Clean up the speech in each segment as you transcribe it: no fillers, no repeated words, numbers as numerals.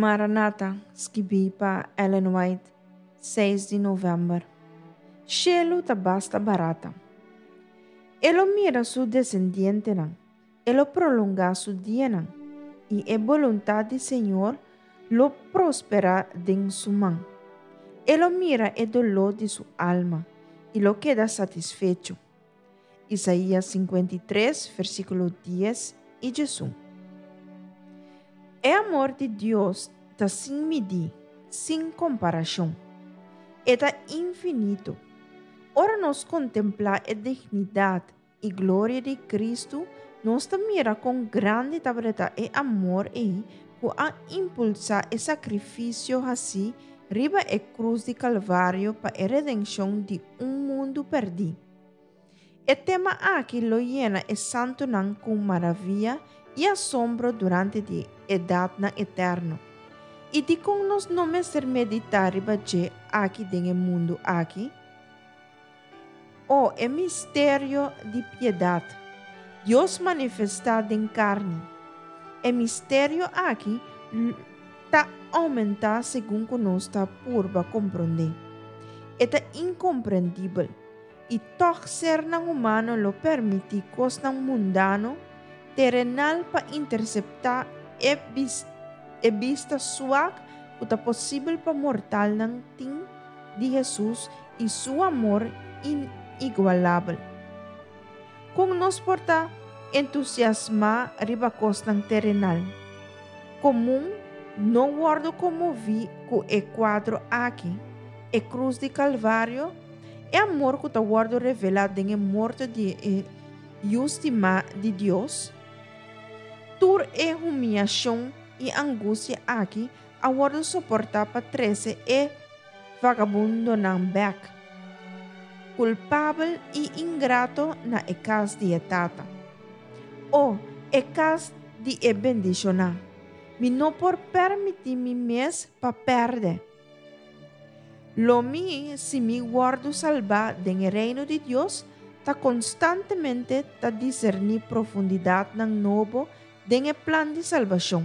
Maranata, skibí pa Ellen White, seis di novèmber. Shelu ta basta barata. E lo mira su desendientenan, e lo prolongá su dianan, i e boluntat di Señor lo prosperá den su man. E lo mira e doló di su alma i lo keda satisfecho. Isaías 53, versíkulo 10 i 11. E amor di Dios ta sin midí, sin komparashon. E ta infinito. Ora nos kontemplá e dignidat i gloria di Kristu, nos ta mira kon grandi tabata e amor ei ku a impulsá e sakrifisio hasí riba e krus di Kalvario pa e redenshon di un mundu pèrdí. E tema aki lo yena e santunan ku maravia i asombro durante di edatnan eterno. I dikon nos no mester meditá riba dje aki den e mundu aki? O, e misterio di piedat! Dios manifestá den karni. E misterio aki ta oumentá segun ku nos ta purba komprondé. E ta inkomprendibel, i tòg sernan humano lo permití kosnan mundano, terenal pa interseptá e e bista suak ku ta posibel pa mortalnan tin di Hesus i su amor inigualabel. Kon nos por ta entusiasmá riba kosnan terenal? Komun no wòrdu konmoví ku e kuadro aki, e krus di Kalvario, e amor ku ta wòrdu revelá den e morto di e Yu stimá di Dios? Tur e humiashon i angustia aki a wòrdu soportá pa trese e vagabundonan bèk, kulpabel i ingrato na e kas di e Tata. O, e kas di e bendishoná! Mi no por pèrmití mi mes pa pèrdè. Lo mi, si mi wòrdu salbá den e Reino di Dios, ta konstantemente ta diserní profundidatnan nobo den e plan di salbashon.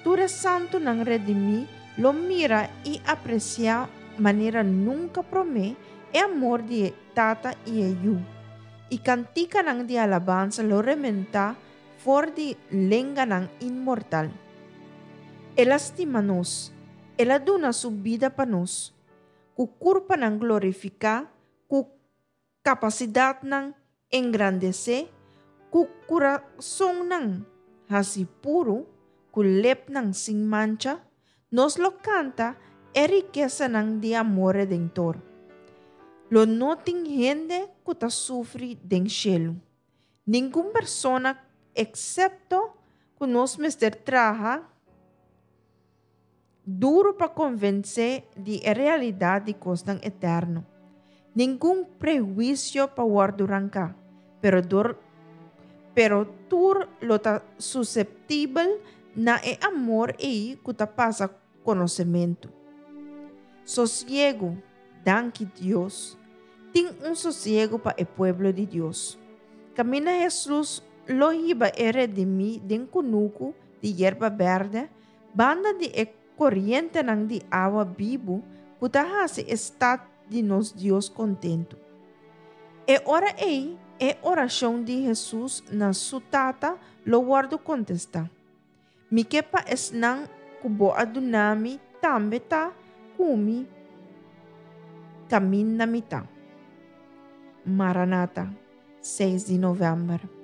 Tur e santunan redimí lo mira i apresiá manera nunka promé e amor di e Tata i e Yu, i kantikanan di alabansa lo rementá for di lenganan inmortal. El a stima nos, El a duna Su bida pa nos. Ku kurpanan glorifiká, ku Kapasidatnan engrandesé, ku kurasonnan hasi puru, ku lepnan sin mancha, nos lo kanta e rikesanan di amor redentor. Lo no tin hende ku ta sufri den shelu. Ningun persona eksepto ku nos mester traha Duru pa konvensé di e realidat di kosnan eterno. Ningun prehuisio pa wòrdu ranká, pero dor pero tur lo ta suseptibel na e amor ei ku ta pasa konosementu. Sosiegu, danki Dios, tin un sosiegu pa e pueblo di Dios. Kaminda Hesus lo hiba e redimí den kunuku di yerba bèrdè, Banda di e korientenan di awa bibu ku ta hasi e stat di nos Dios kontentu. E ora ei e orashon di Hesus na su Tata lo wòrdu kontestá, Mi ke pa esnan ku bo a duna mi tambe ta ku mi kaminda mi ta. Maranata, seis di novèmber.